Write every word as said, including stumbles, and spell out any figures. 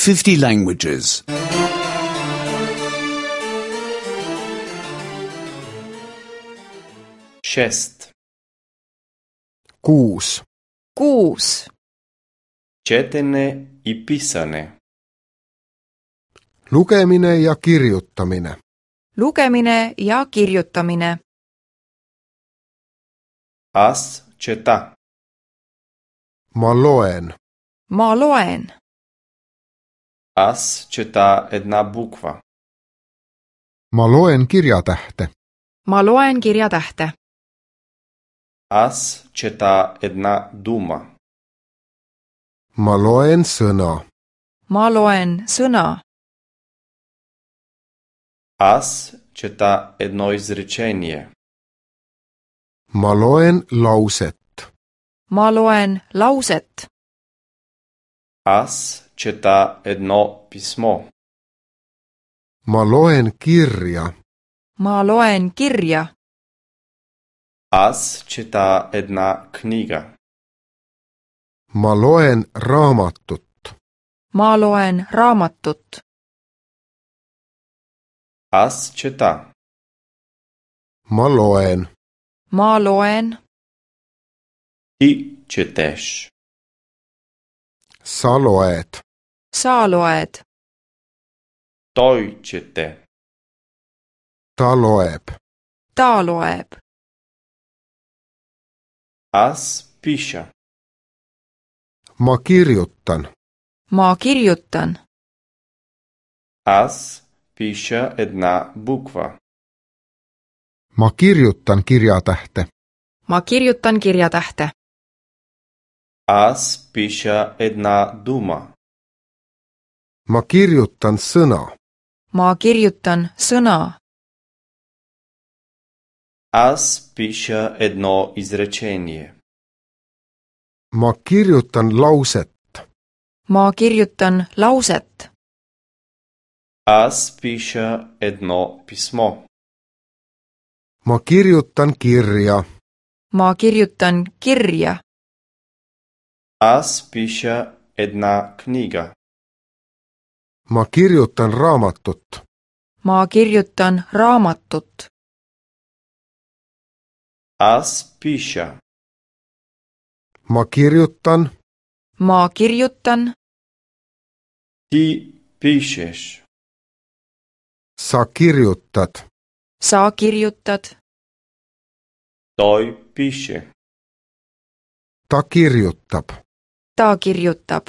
fifty languages. Šest, Kuus. Kuus. četene i pisane. Lukemine ja kirjutamine. Lugemine ja kirjutamine. Аз чета. Ma loen. Ma loen. Аз чета една буква. Ma loen kirjatähte. Ma loen kirjatähte. Аз чета една дума. Ma loen sõna. Ma loen sõna. Аз чета едно изречение. Ma loen lauset. Ma loen lauset. Аз чета едно писмо. Ma loen kirja. Ma loen kirja. Аз чета една книга. Ma loen raamatut. Ma loen raamatut. Аз чета. Ma loen. Ma loen. Ти четеш. Sa loed. Sa loed. Той чете. Ta loeb. Ta loeb. Аз пиша. Ma kirjutan. Ma kirjutan. Аз пиша една буква. Ma kirjutan kirjatähte. Ma kirjutan kirjatähte. Аз пиша една дума. Ma kirjutan sõna. Ma kirjutan sõna. Аз пиша едно изречение. Ma kirjutan lauset. Ma kirjutan lauset. Аз пиша едно писмо. Ma kirjutan kirja. Ma kirjutan kirja. Аз пиша една книга. Ma kirjutan raamatut. Ma kirjutan raamatut. Аз пиша. Ma kirjutan. Ma kirjutan. Ти пишеш. Sa kirjutad. Sa kirjutad. Той пише. Ta kirjutab. Ta kirjutab.